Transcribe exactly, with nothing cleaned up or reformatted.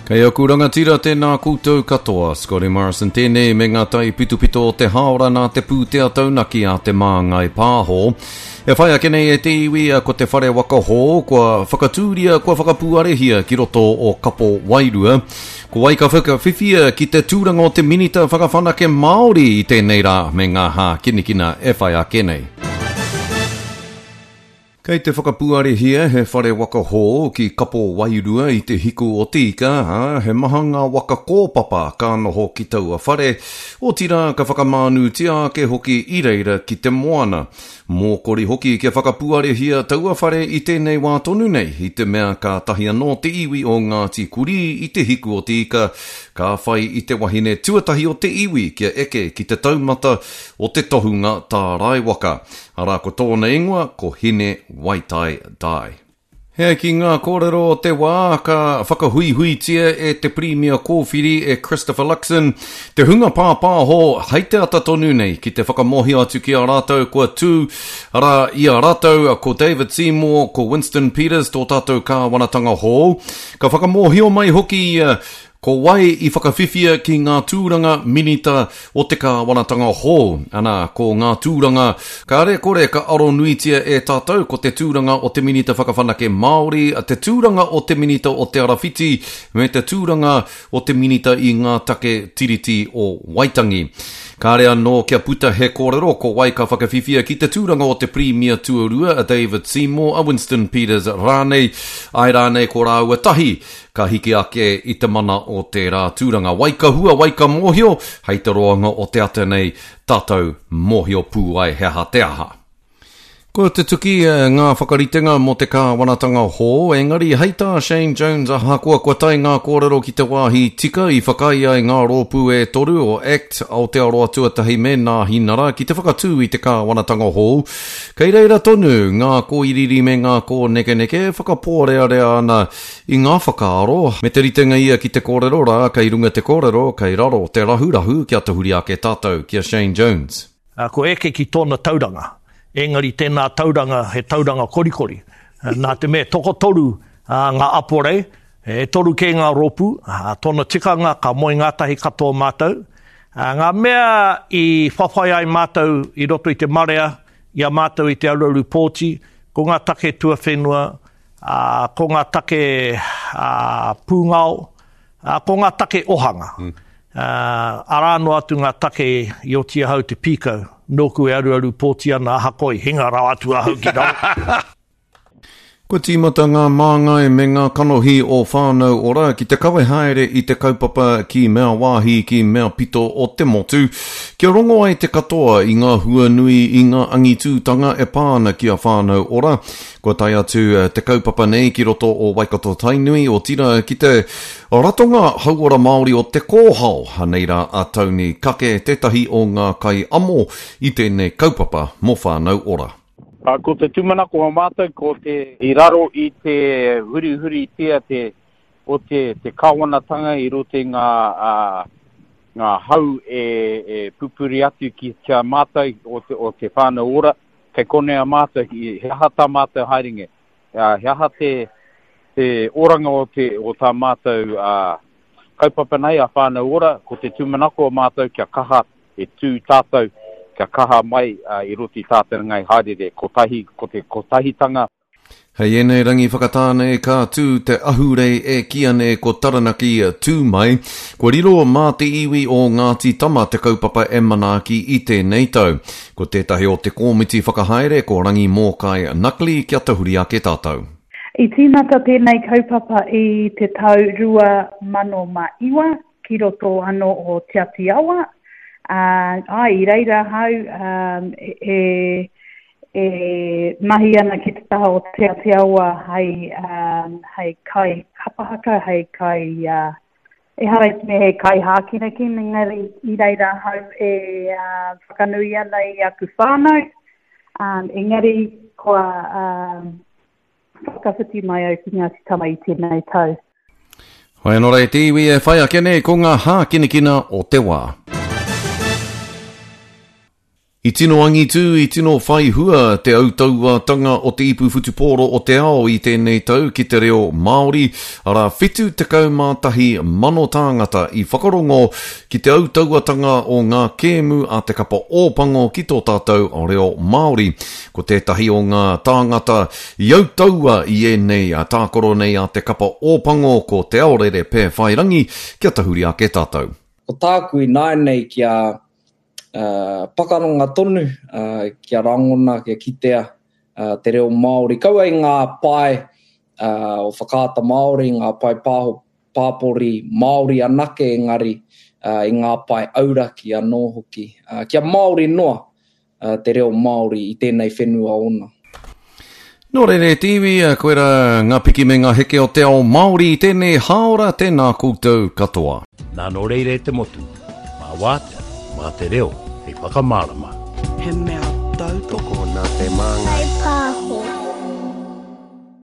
Kei aku rangatira tēnā koutou katoa, Scotty Morrison tēnei me ngā tai pitopito o te haora nā te pūtea taunaki a te Māngai Pāho. E whai ake nei e te iwi ko te whare waka hou kua whakatūria, kua whakapūarehia ki roto o Kapo Wairua. Ko wai ka whakawhiwhia ki te tūranga o te Minita Whakawhanake Māori i tēnei rā me ngā hākinakina e whai ake nei. Kei te whakapuarehia he whare waka hou ki Kapo Wairua i te hiku o te ika, ā, he maha ngā waka kōpapa ka noho ki taua whare, otirā ka whakamānūtia ake hoki i reira ki te moana. Mōkori hoki kia whakapuarehia taua whare i tēnei wā tonu nei, i te mea kātahi anō te iwi o Ngāti Kurī i te hiku o te ika, ka whai i te wahine tuatahi o te iwi kia eke ki te taumata o te tohunga tārai waka. Arā ko tōna ingoa ko Hine Waitai Dye. He ai ki ngā kōrero o te wā ka whakahuihuitia e te Pirimia Kōwhiri e Christopher Luxon te hunga pāpāho hei te ata tonu nei ki te whakamōhio atu ki a rātou kua tū, arā i a rātou ko David Seymour, ko Winston Peters tō tātou kāwanatanga hou. Ka whakamōhio mai hoki ia ko wai i whakawhiwhia ki ngā tūranga minita o te kāwanatanga hou. Ana, ko ngā tūranga kāre kore ka aronuitia e tātou ko te tūranga o te Minita Whakawhanake Māori, te tūranga o te Minita o Te Arawhiti, me te tūranga o te Minita i ngā take Tiriti o Waitangi. Kāre anō kia puta he kōrero ko wai ka whakawhiwhia ki te tūranga o te Pirimia tuarua a David Seymour, a Winston Peters rānei, ai rānei ko rāua tahi ka hiki ake i te mana o tērā tūranga. Wai ka hua, wai ka mōhio, hei te roanga o te ata nei, tātou mōhio pū ai he aha te aha. Kua tutuki ngā whakaritenga mō te kāwanatanga hou, engari hei tā Shane Jones ahakoa kua tae ngā kōrero ki te wāhi tika i whakaae ai ngā rōpū e toru o ACT, Aotearoa Tuatahi me Nāhinara ki te whakatū i te kāwanatanga hou. Kei reira tonu ngā kōiriiri me ngā kōnekeneke e whakapōrearea ana i ngā whakaaro, me te ritenga ia ki te kōrero rā kei runga te kōrero, kei raro te rahurahu kia tahuri ake tātou ki a Shane Jones. Ko eke ki tōna tauranga. Engari tēnā tauranga he tauranga korikori. Nā te mea tokotoru ngā aporei, e toru kē ngā rōpū, tōna tikanga ka moe ngātahi katoa mātou. Ngā mea i whawhai ai mātou i roto i te marea, i a mātou i te aruaru pōti, ko ngā take tuawhenua, ko ngā take pūngao, ko ngā take ohanga. Mm. Arā noa atu ngā take i oti ahau te pīkau, nōku e aruaru pōti ana ahakoa i hinga rawa atu ahau ki raro. Kua tīmata ngā māngai me ngā kanohi o Whānau Ora ki te kawe haere i te kaupapa ki mea wāhi ki mea pito o te motu, kia rongo ai te katoa i ngā huanui i ngā angitūtanga e pā ana ki a Whānau Ora. Kua tae atu te kaupapa nei ki roto o Waikato Tainui, otirā ki te Ratonga Hauora Māori o Te Kōhao. Anei rā a Tony Kake, tētahi o ngā kaiamo i tēnei kaupapa mō Whānau Ora. Ko te tūmanako o mātou, ko te i raro i te hurihuritia te, o te, te kāwanatanga i roto i ngā, uh, ngā hau e, e pupuri atu ki kia mātou o te, o te Whānau Ora, kei konei a mātou, he aha tā mātou haerenge, uh, he aha te, te oranga o, te, o tā mātou uh, kaupapa nei a Whānau Ora, ko te tūmanako o mātou kia kaha e tū tātou, kia kaha mai uh, i roto i tātou ngai haerere, kotahi, ko te kotahitanga. Hei ēnei rangi whakatāne ka tū te ahurei e kīia nei ko Taranaki tū mai. Kua riro mā te iwi o Ngāti Tama te kaupapa e manaaki i tēnei tau. Ko tētahi o te kōmiti whakahaere ko Rangi Mōkai Nuckley kia tahuri ake tātou. I tīmata tēnei kaupapa i te tau rua mano mā iwa ki roto anō o Te Ati Awa. Uh, ai, i reira ahau um, e, e mahi ana ki te taha o Te Ati Awa hei, um, hei kai kapahaka, hei kai, uh, ehara i te mea he kai hākinakina, engari i reira ahau e uh, whakanui ana i aku whānau, um, engari kua um, whakawhiti mai au ki Ngāti Tama i tēnei tau. Hoi anō rā e te iwi e whai ake nei ko ngā hākinakina o te wā. I tino angitu, i tino whai hua te autauatanga o te ipu whutupōro o te ao i tēnei tau ki te reo Māori, arā whitu tekau mā tahi mano tāngata i whakarongo ki te autauatanga o ngā kēmu a te kapa Ōpango ki tō tātou reo Māori. Ko tētahi o ngā tāngata i autaua i ēnei tākaro nei a te kapa Ōpango ko Te Aorere Pēwhairangi, kia tahuri ake tātou. Ko tāku ināianei kia Uh, pakaranga tonu, uh, kia rangona, kia kitea uh, te reo Māori. Kaua i ngā pae uh, o Whakaata Māori, ngā pae pāho, pāpori Māori anake engari uh, i ngā pae auraki anō hoki. Uh, kia Māori noa uh, te reo Māori i tēnei whenua ōna. Nō reira e te iwi, koira ngā piki me ngā heke o te ao Māori i tēnei hāora, tēnā koutou katoa. Nā nō reira e te motu, mā wātea, mā te reo, hei whakamārama. He mea